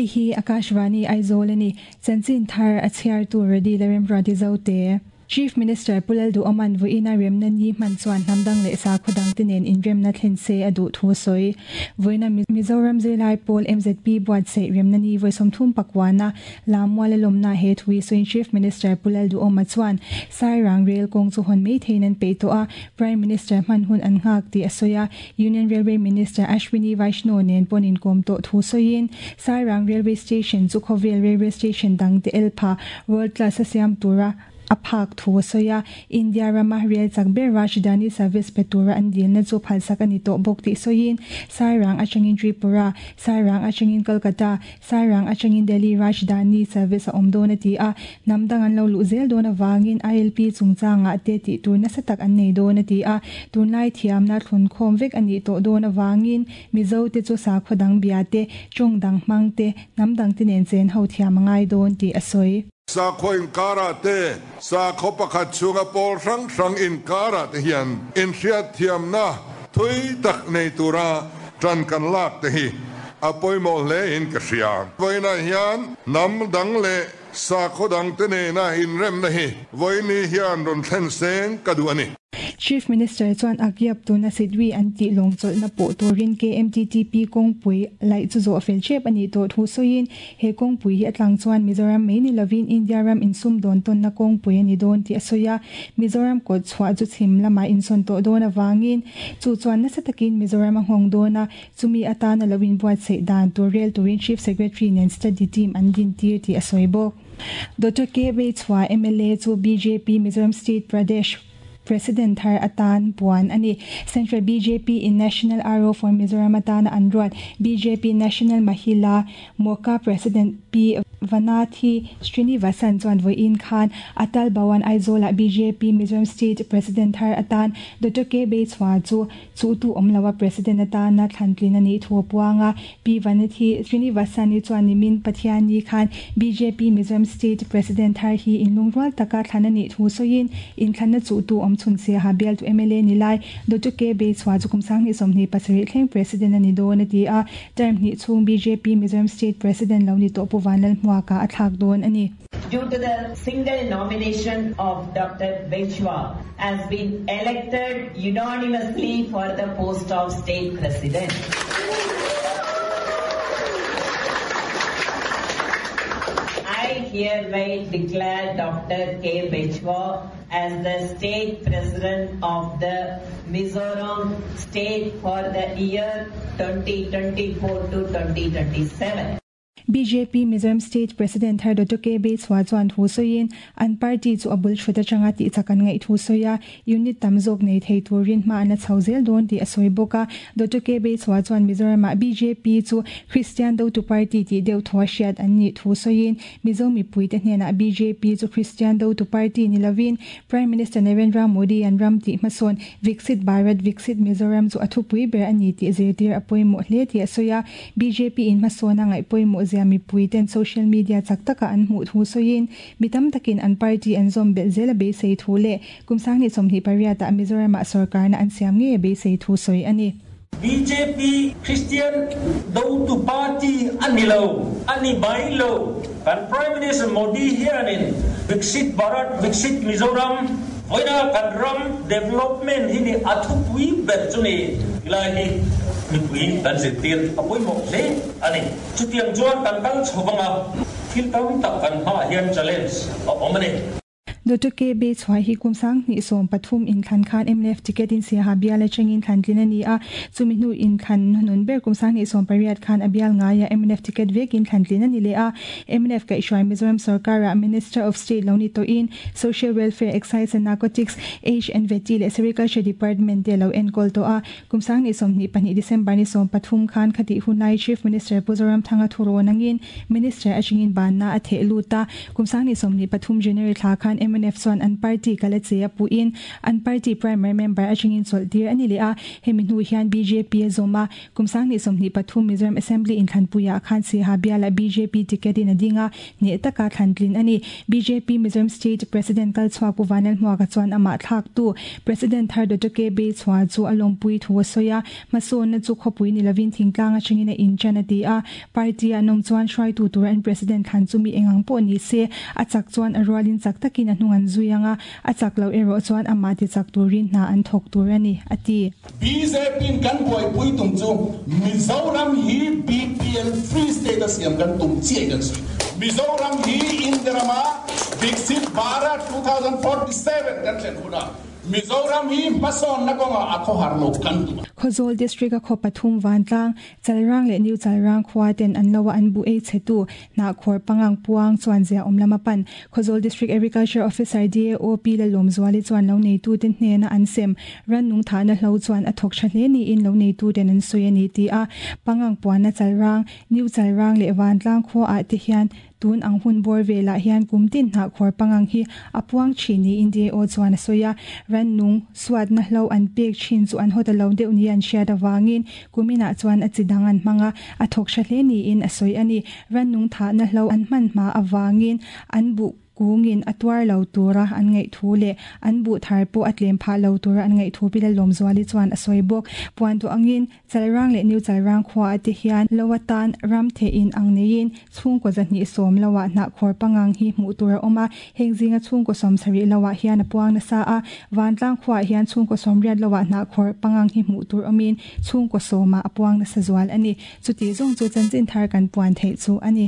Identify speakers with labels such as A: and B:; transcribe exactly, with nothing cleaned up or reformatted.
A: Hei hi Akashvani Aizawl ani chanchin thar a chhiar tu ready lerem rati zote Chief Minister Pulal du Oman voina remna ni man chuan hnamdang leh sa khodang tinen in remna thlen se adu thu soi voina Mizoram Zilai Pawl M Z P buat se remna ni voisom thum pakwana lamwala lomna he thui soin Chief Minister Pulal du Oma chuan Sairang Rail kong chu hon mei theinan pe to a Prime Minister man hun an ngak ti asoya Union Railway Minister Ashwini Vaishnaw nen ponin kom to thu soin Sairang Railway Station chu Khovel Railway Station dang te elpha world class siam tura aphak thu soya India rama rail chakber Rajdhani service petura an dilna chu phalsak ani to bok ti soin Sairang atangin Tripura Sairang atangin Kolkata Sairang atangin Delhi Rajdhani service a omdona ti a namdang an lo lu zel dona wangin I L P chungchanga te ti tur na satak an nei dona ti a tunlai thiam na thlun khom vek ani to dona wangin Mizo te chu sa khodang bia te chongdang mang te namdang te nen chen ho thiam ngai don ti asoi
B: Sa kho in kara te sa kho pakhat chunga pol rang rang in kara te hian in hriat thiam na thui tak nei tura tran kan lak te hi apoimo le in ka hria voina hian nam dang le sa kho dang te ne na in rem na hi voini hian ron thlen seng ka du ani
A: Chief Minister chuan akyap tu na sidwi anti longchol na po turin K M T T P kong pui lai chu zo fel chep ani to thu soin he kong pui hi atlang chuan Mizoram mai ni lovin India ram insum don ton na kong pui ani don ti asoya Mizoram ko chwa chu chim lama inson to don awangin chu chuan na satakin Mizoram hong dona chumi atana lovin buat sei dan tu rel turin Chief Secretary nen study team an din tir ti asoibo Doctor K B Chwa M L A chu B J P Mizoram State Pradesh President Thar Atan Puan ani Central B J P in National R O for Mizoram atana anruat B J P National Mahila Moka President P Vanathi Srinivasan chuan voin khan Atal Bhawan Aizola B J P Mizoram State President Thar Atan Doctor K B Chwa chu chu tu omlawa President atana thlantlin ani thuapuanga P Vanathi Srinivasan ni chuan nimin Pathiani khan B J P Mizoram State President Thar hi inlungrual taka thlanani thu soin in thlanna chu tu om chun se ha bel tu M L A nilai Doctor K B Chwa chu kumsang ni somni pasari thleng President ani don ati a term ni chung B J P Mizoram State President lo ni to puvanlal hmuaka athak don ani
C: Due to the single nomination of Doctor Bechwa has been elected unanimously for the post of state president. I hereby declare Doctor K. Bechwa as the state president of the Mizoram state for the year twenty twenty-four to twenty twenty-seven.
A: B J P Mizoram State President Thar Doctor K B Chwa chuan thu soin an party chu abul thuta changa ti chakan ngai thu soya unit tamzok nei thei turin ma na chauzel don ti asoi boka Doctor K B Chwa chuan Mizoram B J P chu Christian do tu party ti deu thwa hriat an ni thu soin Mizo mi puite hnena B J P chu Christian do tu party ni lovin Prime Minister Narendra Modi an ram ti mason Viksit Bharat Viksit Mizoram chu athu pui ber ani ti zirtir apoi mo hle ti asoya B J P in masona ngai poi mo mi puiten social media chaktaka an mu thu soin mitam takin an party an zom bel zela be sei thu le kumsang ni somni pariata Mizoram sarkar na an siam nge be sei thu soi ani
D: B J P Christian do tu party anilo ani bailo kan Prime Minister Modi hianin Viksit Bharat Viksit Mizoram voina kan ram development hini athu pui ber chuni ilahi mi pui kan zitir apoi mo le ani chutiang chuan kan kal chhobanga thil tam tak kan ha hian challenge a omne
A: Doctor K B Chwa hi kumsang ni som pathum in khan khan M L F ticket in se ha biala changin khan tlina ni a chumi nu in khan nun ber kumsang ni som pariat khan abial nga ya M L F ticket vek in khan tlina ni le a M L F ka ishwai Mizoram sarkar Minister of State loni to in Social Welfare Excise and Narcotics H and V T le Sericulture Department te lo en kol to a kumsang ni som ni pani December ni som pathum khan khati hunai Chief Minister Puzoram Thanga thuro nangin Minister achingin ban na athe luta kumsang ni som ni pathum January thla khan M M N F chuan an party kala che a puin an party primary member atangin chawlhtir ani le a hemi hnu hian B J P a zawma kumsang ni sawmhnih pathum Mizoram Assembly inthlanpuiah khan Siaha biala B J P ticket in a dinga ne taka thlantlin ani B J P Mizoram State President kalchhuak pu Vanel Hmuaka chuan amah thlak tu President thar Doctor K B chhuah chu a lawmpui thu a sawi a hmasawnna chu khawpui ni lovin thingtlang atangin a inchan a ti a party a nawm chuan hruaitu tur an President thlan chu mi engang pawh ni se a chak chuan a rualin chak takin a hnung an zui anga a chak lo erawh chuan amah ti chak turin hna an thawk tur ani a ti
E: B J P in kan buaipui tum chu Mizoram hi B P L Free State a siam kan tum chiah kan sawi Mizoram hi India Viksit Bharat twenty forty-seven kan thlen huna Mizoram hi hmasawn na kawnga a khawhar lo kan tum
A: Khawzawl district a khaw pathum vantlang Chalrang leh New Chalrang khua ten an loa an bu ei chhetu na khawr pangang puang chuan zia awm lama pan Khawzawl district agriculture officer D A O P la lawm zuali chuan lo nei tu ten hnena an sem ran nung tha na hlo chuan a thawk tha hle ni in lo nei tu ten an sawi ani ti a pangang puan na Chalrang New Chalrang leh vantlang khua ah te hian tun ang hun bor vela hian kumtin hna khawr pangang hi apuang thini India o chuan a sawi a ran nung suat na hlo an pek thin chu an hota lo deuh ni an hriat awangin kumina chuan a chidang an hmanga a thawk tha hle ni in a sawi ani ran nung tha na hlo an hman hma awangin an bu kungin atwar lo tura an ngai thu le an bu thar po atlem pha lo tura an ngai thu pila lawm zuali chuan a sawi bawk puan tu angin Chalrang leh New Chalrang khua ate hian lawatan ram the in ang neiin chhungkaw zahnih sawm loah hnah khawr pangang hi hmuh tur a awm a heng zinga chhungkaw sawm sarih loah hian a puang nasa a vantlang khuaah hian chhungkaw sawm riat loah hnah khawr pangang hi hmuh tur awmin chhungkaw sawmah a puang nasa zual ani chuti zawng chu chanchin thar kan puan theih chu ani.